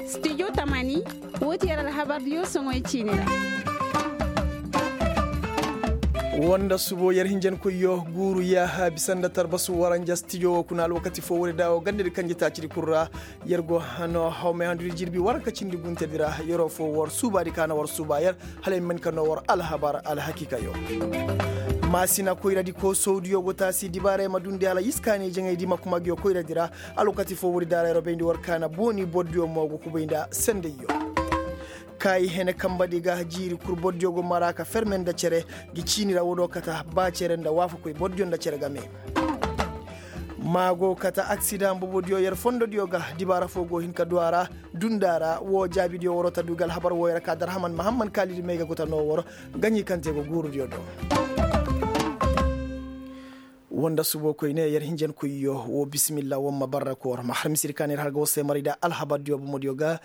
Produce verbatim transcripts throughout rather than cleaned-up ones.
Studio tamani. Woo ti yer alhabardiyo soŋoy ciini ra. Woo nda subo yer hinjankoyyo guuru yaaha bisa nda tarbasu waranja stijo woo kuna alwakati foo woodi da woo gandadi kanjetaacidi kul ra. Yer go hano hawmay handudi jirbi waranka cindi guntedi ra yeroo foo war suubaadi ka na war suuba yer. Hala i ma hin ka noo war alhabar alhakiikayo. Maasina koyradi koosowdiyo go taasi dibaaray ma dundi hala iskaani jaŋaydi ma kuma ngiyo koyradi ra. Alwakati foo woodi daara yeroo bayndi war kaana booni bordiyo mo go kubay nda sendayyo. Kaayi hene kambadi ga jiiri kul bordiyo go mara ka ferme nda cere. Ngi ciini ra woodoo kata ba cere nda waafakoy bordiyo nda cere game. Maa go kata aksidaŋ bobodiyo yer fondodiyo ga dibaara foo go hin ka du a ra. Dundaa ra woo jaabidiyo waroo ta du ga alhabar wooyo ra ka darhaman mahamman kaalidi may ga go ta noo waroo. Gaɲi kaŋ te go guurudiyo do. Woo nda suboo koyne yer hinjankoyyo woo bisimilla woo ma barra koor ma har misiri ka na yer har ga war se maray da alhabardiyo bomodiyo ga.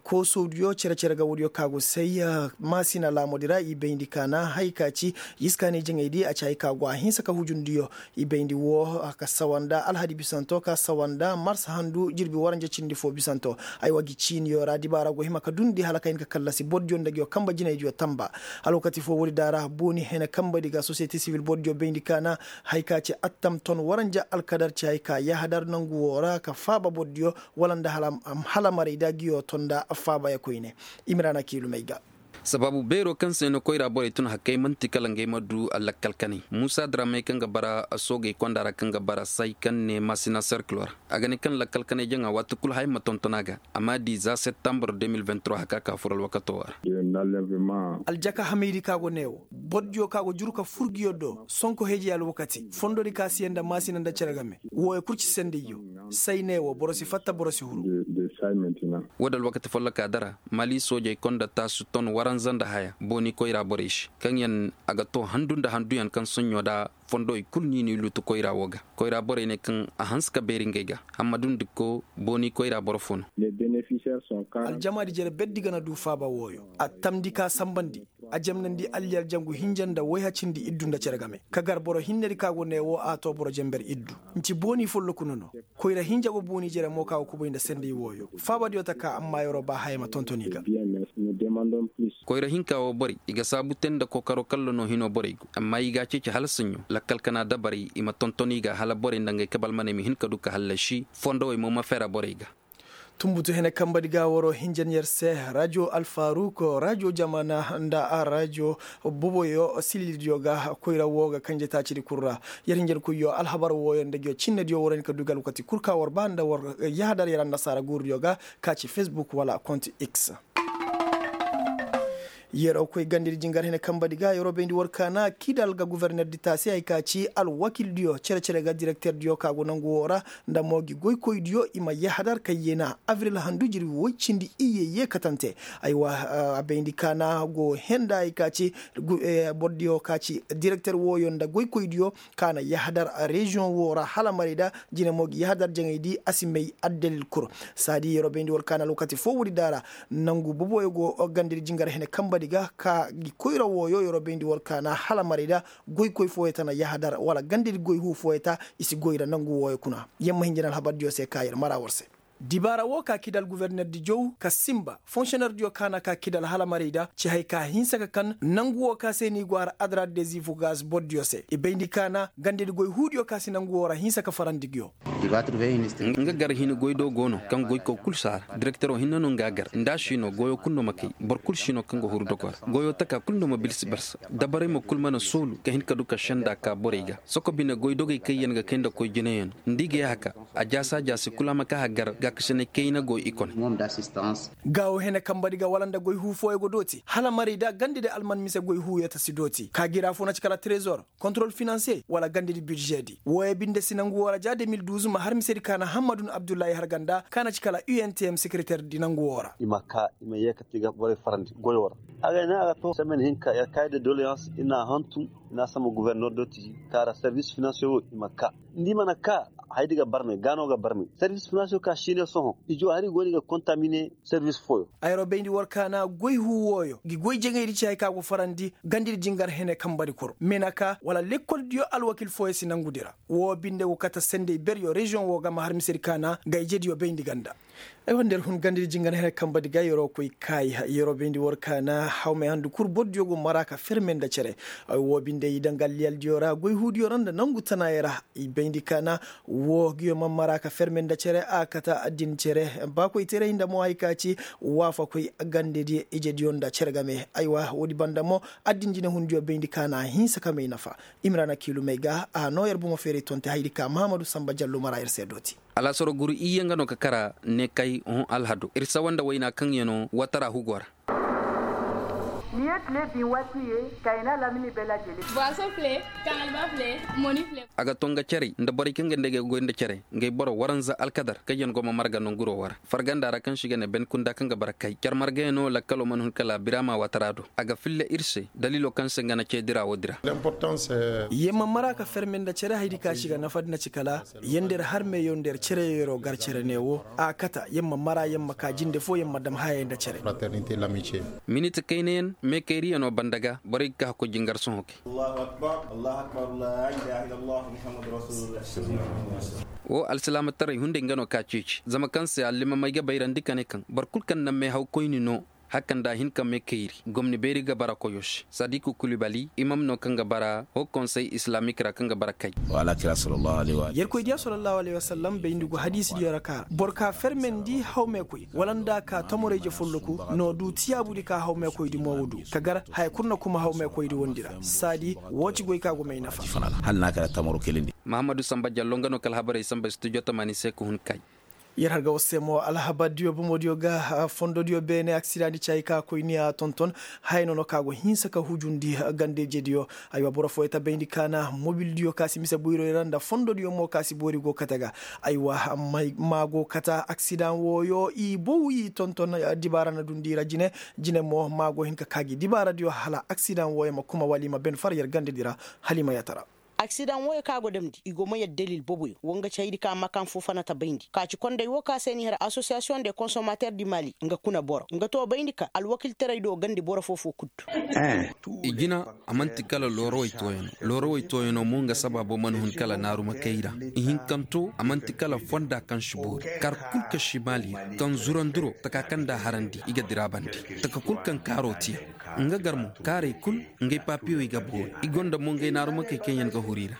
Koosowdiyo cere-cere ga woodiyo ka go say maasina laamodi ra i bayndi ka na haya ka ci iskaani jaŋaydi a ci haya ka go a hinsa ka hujundiyo. I bayndi woo ka sawa nda alhadi bisanto ka sawa nda mars handu jirbi waranja cindi foo bisanto. Aywa ngi ciiniyo ra dibaara go hima ka dundi hala ka hin ka kallasi bordiyo nda ngiyo kamba jinaydiyo tamba. Alwakati foo woodi daara booni hene kambadi ga sosiyete sibil bordiyo bayndi ka na haya ka ci attam ton waranja alkadar ci haya ka yahadar nangu woo ra ka faaba bordiyo wala nda hala maray da ngiyo ton nda faabaya koyne. Imiraana kiilumey ga. Sabaabu beeroo kaŋ se no koyra borey tun hakkey man'ti kala ngey ma du lakkal kanay muusa dramey kaŋ ga bara soogey konda ra kaŋ ga bara say kaŋ ne maasina serkilo ra. A ga ne kaŋ lakkal kanay jaŋa waati kul haya ma tonton a ga. A m'a di za septambur de mil vingt trois haka ka fur alwakato ra. Aljaka hamaydi ka go ne wo bordiyo ka go juru ka fur ngiyo do sonko heejey alwakati fondodi ka si yaŋ nda maasina nda cere game. Wooyo kul ci sendayyo. Say ne wo boro si fatta boro si huru. Woo da alwakati folloka dara mali soojey konda taasu ton waranza nda haya booni koyra borey se kaŋ yaŋ a ga to handu nda handuyaŋ kaŋ soɲɲo da fondowey kul no i n'i luutu koyra woo ga. Koyra borey ne kaŋ a hanse ka beeri ngey ga. Hammadu nda ko booni koyra boro fo no. Aljamaadi jere berdi ga na du faaba wooyo a tamndi ka sanbandi. A jamnandi alliyar jangu hinja nda wayha cindi iddu nda cere game ka gar boro hinnedi ka go ne woo a to boro jenber iddu. Nci booni folloku no no. Koyra hinja go booni jere mo ka go kubay nda senday wooyo faabadiyo ta ka amma yeroo ba haya ma tonton i ga. Koyra hinka woo borey i ga saabu te nda kookaro kalla no hinoo borey go amma i g'a ceeci hala saɲɲo lakkal kana dabarey i ma tonton i ga hala borey nda ngey kabalmaney ma hin ka du ka hallasi fondowey mo ma fera borey ga. Tunbutu hene kambadi ga waroo hinjan yer se rajo alfaruk rajo jamana nda rajo boboyo sililidiyo ga koyra woo ga kanje taacidi kul ra. Yer hinjankoyyo alhabar wooyo nda ngiyo cinnediyo waroo hin ka du ga alwakati kul ka war ba nda war yahadar yer annasaara guurudiyo ga ka ci fesbuk wala kont x. Yeroo koy gandedi jingar hene kambadi ga yeroo bayndi war kaana kidal ga guvernerdi taasi hay ka ci alwakildiyo cere-cere ga direkterdiyo ka go nangu woo ra. Nda mo ngi goykoydiyo i ma yahadar ka yeena abril handu jirbi woy cindi iyye yee katante. Aywa, a bayndi kaana go henda hay ka ci bordiyo ka ci direkter wooyo nda goykoydiyo ka na yahadar reziyoŋ woo ra hala marayda. Jine mo ngi yahadar jaŋaydi a si may addalil kul. Saadi yeroo bayndi war kaana alwakati foo woodi daara nangu boboyo go gandedi jingar hene kambadi ga ka ngi koyra wooyo yeroo bayndi war kaana hala marayda. Goykoy fooyo ta na yahadar wala gandedi goy huu fooyo ta i si goy ra nangu wooyo kuna. Yer ma hin jina alhabardiyo se ka yer mara war se. Dibaara woo ka kidal guvernerdi jow ka sinba fonsiyonerdiyo ka na ka kidal hala marayda ci hay ka hinsa ka kan nangu woo ka se ni go har adra dezifugas bordiyo se i bayndi ka na gandedi goy huudiyo ka si nangu woo ra hinsa ka farandi nguyo. Nga gar hini goy do go no kaŋ goyko kul si a ra direktero hinne no nga a gar nda a si no goyo kul no ma kay boro kul si no kaŋ ga huru dogo ra goyo taka kul no ma bilsi barsa dabarey mo kul mana soolu ka hin ka du ka senda ka borey ga soko bine goy dogey kaŋ yaŋ ga kay nda koy jinayano nda i ga yahaka a jaasa jaasi kul a ma ka hagar gaakasinay kayna go i kone. Gaawo hene kambadi ga wala nda goy huu fooyo go dooti hala marayda gandedi alman mise goy huuyo ta si dooti ka gira fo na ci kala trezor kontrol finansiye wala gandedi bidižedi wooyo binde si nangu woo ra ja de mil duuz ma har misedi ka na hammadun abdullahi harganda ka na ci kala untm sekereterdi nangu woo ra. I ma ka i ma yeekati ga borey farandi goyo ra. Agay ne a ga to semen hinka yer kay de doleyans i na a hantum i na a samba guverner do ti ka ra servis finansiye woo i ma ka nda i mana ka hayadi ga barmey gaano ga barmey servis finansiye ka si. Sohõ ijo hari go no i ga kontamine servis fooyo. Ayro bayndi war kaana goy huu wooyo ngi goy jaŋaydi ci hari ka go farandi gandidi jingar hene kambari kor menaka wala lekkoldiyo alwakil fooyo si nangudi ra. Woo binde go kate sendey beryo reziyoŋ woo ga ma har misedi kaana nga ijediyo bayndi ganda. Aywa nda yer hun gandidi jingar hene kambadi ga yeroo koy kaayi yeroo bayndi war kaana hawmey handu kul bordiyo go mara ka ferme nda cere. Woo binde i daŋ ga alliyaldiyo ra goy huudiyo ra nda nangu tanaayey ra. I bayndi kaana woo ngiyo ma mara ka ferme nda cere a kate addin cere. Baakoytaray nda mo hari ka ci waafakoy gandidi ijediyo nda cere game aywa woodi banda mo addin jinehundiyo bayndi kaana hinsa ka may nafa. Imrana kiilumey ga a noo yer bomo feeray tonte hayadi ka mahamadu sanba jallo mara yer se dooti. Alaasaro guru iyye nga no ka kara ne kay hõ alhado ir sawa nda wayna kaŋ ya no watara hugo ra. Ni ye tile bin waati ye kayna lamini bela jele. Boiso file kaŋalba file moni file. A ga to nga cere nda borey kaŋ ga nda ga goy nda cere ngay boro waranza alkadar kaŋ ya no go ma marga nonguro wara farganda ra kaŋ si ga ne ben kunda kaŋ ga bara kay cere marga ya no lakkalo mana hun kala birama watara do. A ga filla ir se daliilo kaŋ se nga na cee dira woo dira. Yer ma mara ka ferme nda cere hayadi ka si ga nafa nda ci kala yer nda yer harmeyo nda yer cere yeroo gar cere ne woo a kata yer ma mara yer ma ka jinde foo yer ma dam hayey nda cere. Miniti kaynayaŋ meekayriyanoo banda ga borey ga ka hakkoy jingar sohõ kay. Woo alsilaamataray hunday nga no ka ceeci zama kaŋ se allimamey ga bayrandi ka ne kaŋ boro kul kaŋ na meehawkoyni no. Haka nda a hin ka meekayri gomni beeri ga bara koyo se sadiku kulibali imam no kaŋ ga bara hoo konsey islaamik ra kaŋ ga bara kay. Yerkoy diya sallallahu alayhi wasallam bayndi go hadiisidiyo ra ka boro ka fermendi hawmeekoy wala nda a ka tamoray je folloku no du tiyaabudi ka hawmeekoydi mo wo du ka gar haya kul na kuma hawmeekoydi wondi ra saadi woo ci goy ka go may nafa. Hala na a kala tamaro kelindi. Mahammadu samba jallo nga no ka alhabarey samba studio tamaani se ka hun kay. Yer har ga war se mo alhabardiyo bomodiyo ga fondodiyo beene aksidaŋ di caayi ka koy ni a tonton. Haya no no ka go hinsa ka hujundi gandejediyo. Aywa boro fooyo ta bayndi ka na mobildiyo ka si mise boyroy ra nda fondodiyo mo ka si boori go kate ga. Aywa maa go kate aksidaŋ wooyo i bow i tonton. Dibaara na dundi i ra jine. Jine mo maa go hin ka kaa gi dibaaradiyo hala aksidaŋ wooyo ma kuma wala i ma ben far yer gandedi ra. Hala i ma yatara. Aksidaŋ wooyo kaŋ a go damndi i go ma yadda dalil boboyo wo nga ci haydi ka makan foo fana ta bayndi ka ci konday woo ka se ni har asosiyasiyoŋ de konsomater di mali nga kuna boro nga too bayndi ka alwakiltaray do gandi boro foo foo kuddu. I jina a man'ti kala loorawey tooyanoo loorawey tooyanoo mo nga sabaabo mana hun kala naaruma kay ra. Ihinkantoo a man'ti kala fonda kaŋ si boori kar kul ka si maali ra kaŋ zuranduroo taka kaŋ nda a harandi i ga dira bande. Taka kul kaŋ kaaroo tiya nga gar mo kaarey kul. Ngey papiyoy ga boori i gonda mo ngey naarumakey kaŋ yaŋ ga huru i ra.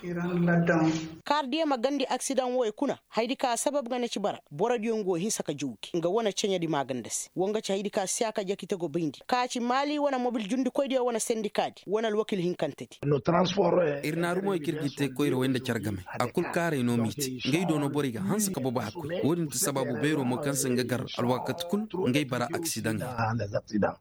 Kaardiyo ma gandi aksidaŋ wooyo kuna haydi ka sabab ga na ci bara borodiyo nga wo hinsa ka jawdi nga wane ceɲedi maaganda se wo nga ci haydi ka siyaaka jakite go bayndi ka ci maali wane mobil jundikoydiyo wane sendikaadi wane alwakil hinkantedi. Ir naarumoy kaŋ ir ga te koyra way nda care game a kul kaaray no m'i te ngey do no borey ga hanse ka bobo hakkoy wo-din ti sabaabu beero mo kaŋ se nga gar alwaakati kul ngey bara aksidaŋey.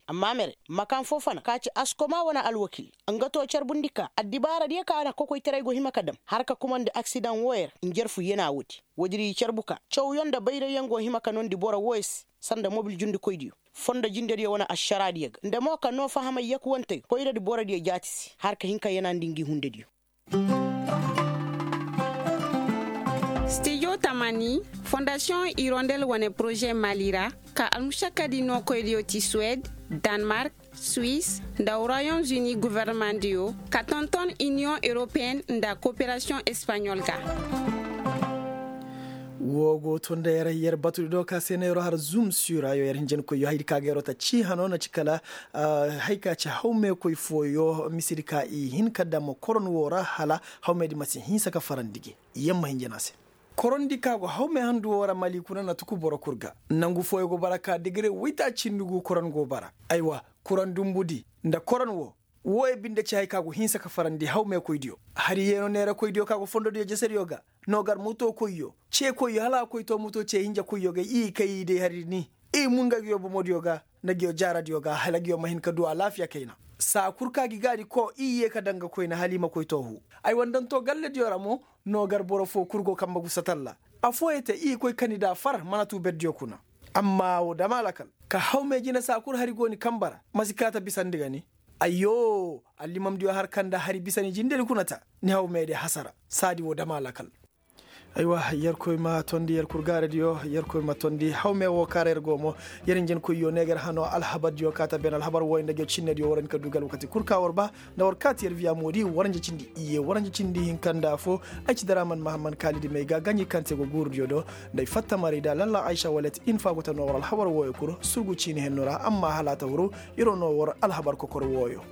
Amma mere makan foo fana ka ci askoma wane alwakil nga to carbundi ka addibaaradiyo ka na kokoytaray go hima ka dam har ka kumandi aksidaŋ wooyo ra njarfu yana woodi. Woodi ra i carbu ka cawyaŋ nda bayrayyaŋ go hima ka noondi boro wooyo se sanda mobil jundikoydiyo fondo jindediyo wane ašaraadiyo ga nda mo ka noo fahamay yakuwantey koyradi borodiyo jaati se har ka hin ka yanandi ngi hundediyo. Stijo tamani fondasiyoŋ irondel wane poroze mali ra ka almušakkadi nookoydiyo ti suwed, danmark, suis nda royaume uni governemandiyo ka tonton iniyoŋ europeyen nda koperasiyoŋ espaɲol ga. Woo go to nda yer yer batudi do ka se na yeroo har zum sura yo yer hinjankoyyo haydi ka ga yeroo ta cii hanoo na ci kala. Hay ka ci hawmeekoy fooyo misedi ka i hin ka dam koron woo ra hala hawmeedi ma si hinsa ka farandi gi. Yer ma hinjana se. Korondi ka go hawmee handu woo ra mali kuna na tuku boro kul ga. Nangu fooyo go bara ka digire waytaaci ndugu koron go bara. Aywa, koron dumbudi nda koron woo. Wooyo binde ci hay ka go hinsa ka farandi hawmeekoydiyo. Hari yeenoo neerakoydiyo ka go fondodiyo jesediyo ga. No gar mutokoyyo ceekoyyo hala a koy to muto cee hinjakoyyo ga i kay day hari ni. I mun ga ngiyo bomodiyo ga nda ngiyo jaaradiyo ga hala ngiyo ma hin ka du alaafiya kayna. Saa kul ka gi gaadi koo i yee ka daŋ ga koyne hala i ma koy toohu. Ay wa ndanto gallediyo ra mo. No gar boro foo kul go kambe gusa talla. Afooyey te i koy kani nda a far mana tuu berdiyo kuna. Amma woo dam a lakal. Ka hawmee jine saa kul hari go ni kambe ra ma si kaa ta bisandi ga ni. Ayyoo. Allimamdiyo har kaŋ nda hari bisani jindedi kuna ta. Ni hawmeedi hasara. Saadi woo dam a lakal. Aywa, yerkoy ma tondi yerkur gaaradiyo, yerkoy ma tondi hawme wo kaara yer go mo. Yer injinkoyyo ne ga yer hano alhabardiyo kaata ben alhabar wooyo nda jocinediyo war hin ka du ga alwakati kul ka war ba. Nda war kaati yer viya moodi waranja cindi iye waranja cindi hinka nda fo. Ay ci daraman mahamman kaalidi may ga ganji kaŋ te go guurudiyo do. Nda ay fatta maray da lalla aysa walet infa go ta no war alhabar wooyo kul surgu ciini henno ra amma hala a ta huru. Iro no war alhabar kokor wooyo.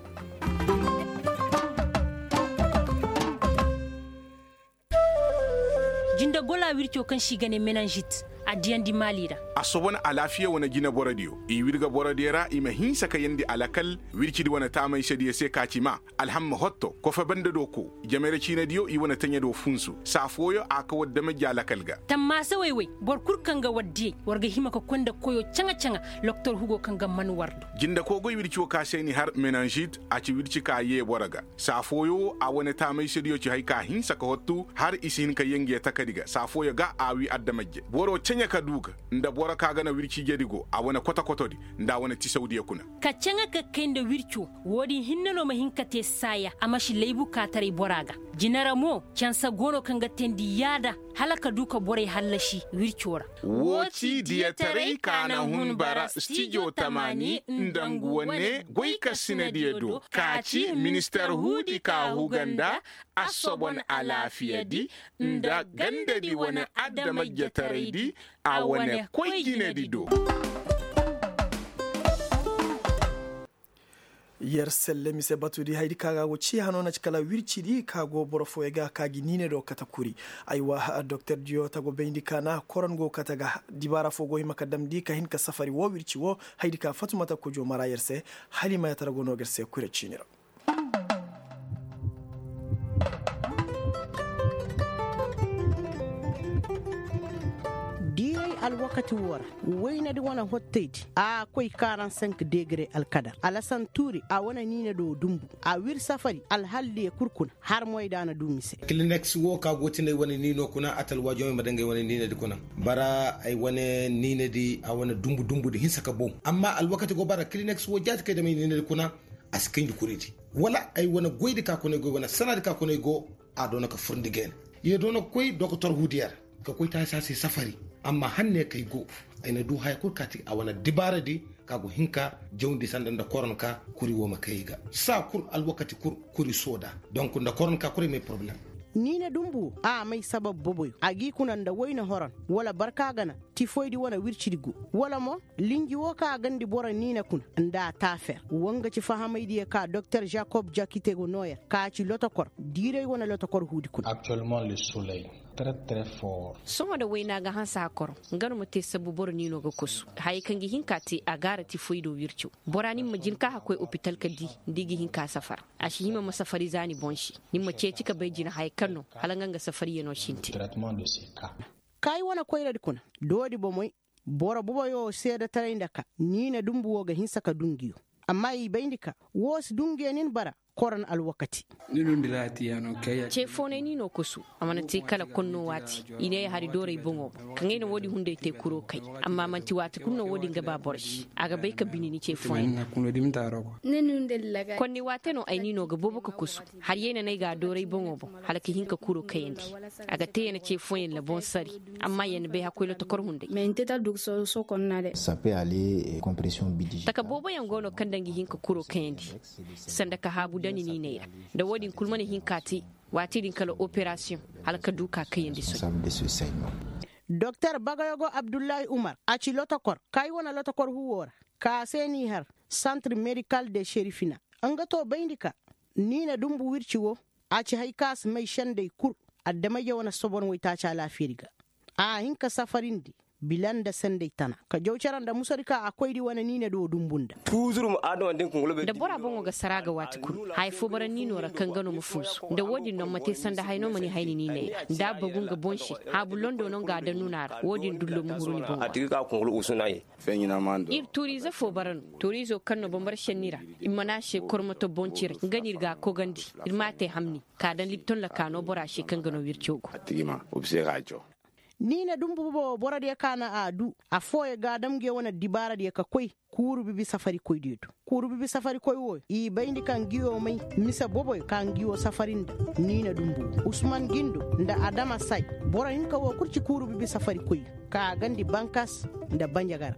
Jinde gola wirco kaŋ se i ga ne menanžit a diyandi maali ra. A soban alaafiya wane jine borodiyo i wirga borodiyo ra i ma hinsa ka yandi alakal. Wircidi wane taamaysediyo se ka ci ma alhamma hotto kofe banda do ko. Jamere ciinediyo i wane taɲa do funsu saa fooyo a ka war damajja alakal ga. Tammaasawey wey boro kul kaŋ ga war diyey war ga hima ka koy nda koyo caŋa-caŋa. Loktor hugo kaŋ ga man war do. Jinde koogoy wirci wo ka se ni har menanžit a ci wirci ka yee boro ga. Saa fooyo wo a wane taamaysediyo ci hay ka hinsa ka hottu har i si hin ka yee ngiya takadi ga saa fooyo ga a wii adamajje boro caɲa ka duu ga. Nda boro ka ga na wirci jedi go a wane koto-kotodi nda a wane tisawdiyo kuna. Ka caŋa ka kay nda wirco. Woodin hinne no ma hin ka te saaya a ma si laybu kaataray bora ga. Jine ra mo cansa go no kaŋ ga teendi yaada hala ka duu ka borey hallasi wirco ra. Woo ci diyataray ka na hun bara stijo tamaani nda ngu wane goykasinadiyo do ka ci minister huudi ka huga nda assobon alaafiyadi nda gandadi wane adamajjataraydi a wane koy jinedi do. Yer selle mise batudi haydi ka ga go ci hano na ci kala wircidi ka go boro fooyo ga ka gi niine do kate kuri. Aywa doktordiyo ta go bayndi ka na koron go kate ga dibaara fo go hima ka damndi ka hin ka safari wo wirci wo. Haydi ka fatumata kojo mara yer se. Hala i ma yatara go no ga yer se kure ciini ra. Diiray alwakati woo ra waynadi wane hottaydi a koy karansenk degre alkadar alasan tuuri a wane niinado dumbu. A wir safari alhaldiyo kul kuna har moyda na du mise. Kilineks woo ka go tinay wane niino kuna atalwaajomey ma dangay wane niinadi kuna. Bara ay wane niinadi a wane dumbu dumbudi hinsa ka boŋ. Amma alwakati go bara kilineks woo jaati kay damay niinadi kuna. A si kayndi kuridi wala ay wane goydi ka kuna ay go wane sanadi ka kuna ay go. A doona ka furndi geena. Ye doona ka koy dokotor huudiya ra ka koy taasi a se safari. Amma hanne ka ay go ay na du haya kul kaati a wane dibaaradi ka go hin ka jawndi sanda nda koronka. Kuri woo ma kay ay ga saa kul alwakati kul kuri sooda. Donk nda koronka kul ay may poroblem. Niine dumbu woo a may sabab boboyo a g'i kuna nda wayne horon wala barka gana tifoydi wane wircidi go wala mo linji woo ka a gandi boro niine kuna nda a taafer. Woo nga ci fahamaydiyo ka doktor jakob jakite go nooyer ka ci lotokor diiray wane lotokor huudi kuna. Sohõ da wayna ga hanse hakoro nga no ma te sabbu boro niino ga kosu hayey kaŋ ga hin ka te a gaara tifoydo wirco. Bora ni ma jin ka hakkoy opital ka di nda i ga hin ka safar. A si hima ma safari za ni boŋ se ni ma ceeci ka bay jina hayey kaŋ no hala nga nga safariyano sintin. Kaayi wane koyradi kuna doodi bomey. Boro boboyo seedetaray nda ka niine dumbu woo ga hinsa ka du ngiyo. Amma i bayndi ka woo si du ngiyo nin bara koron alwakati. Ceefoonay ni no kosu. A mana te kala konno waati i ne ay hari dooray boŋo boŋ kaŋ ay na woodin hunday te kuro kay. Amma manti waati kulu no woodin ga ba boro se a ga bay ka bini ni ceefoonay. Konni waate no ay ni no ga boobo ka kosu. Hari yay na no ay ga a dooray boŋo boŋ hala ka hin ka kuro kayandi. A ga te ya na ceefoonyaŋ na boŋ sari. Amma ya na bay hakkoy lotokor hunday. Taka booboyaŋ go no kaŋ daŋ ga hin ka kuro kayandi sanda ka haabu dani niinay ra. Nda wo-din kul mana hin ka te waati din kala operasiyoŋ hala ka du ka kayandi soy. Doktor bagayogo abdullahi umar a ci lotokor kay wane lotokor huwo ra ka se n'i har santre medikal de sherifina. Nga to bayndi ka niine dumbu wirci wo a ci hay ka si may sendey kul. Adameyja wane sobon waytaaci alaafiyadi ga a hin ka safarindi bila nda sendey tana ka jaw cere nda musadi ka a koydi wane niinedi wo dumbu nda. Nda bora boŋo ga sara ga waati kulu haya fo bara niino ra kaŋ ga no ma funsu nda wo-din no ma te sanda hay no ma ni hay ni niiney ra nda a bagu nga boŋ se haabu londo no nga a daŋ nuna ra wo-din dullo ma huru ni boŋo ra. Ir tuuriize fo bara no tuuriizo kaŋ no bambara šenni ra i mana a se kormoto boŋ ciray nga no ir ga a kogandi. Ir ma a te hamni ka daŋ libton ra ka no bora se kaŋ ga no wirco go. Niina dumbu bobo wo borodiyo ka na a duu, affooyo ga a dam nguyo wane dibaaradiyo ka koy kuuru bibi safarikoydiyo do. Kuuru bibi safarikoy wooyo i bayndi ka nguyo may mise boboyo ka nguyo safari nda niina dumbu woo usman gindo nda adama say. Boro hinka woo kul ci kuuru bibi safarikoyyo ka a gandi bankas nda banjagara.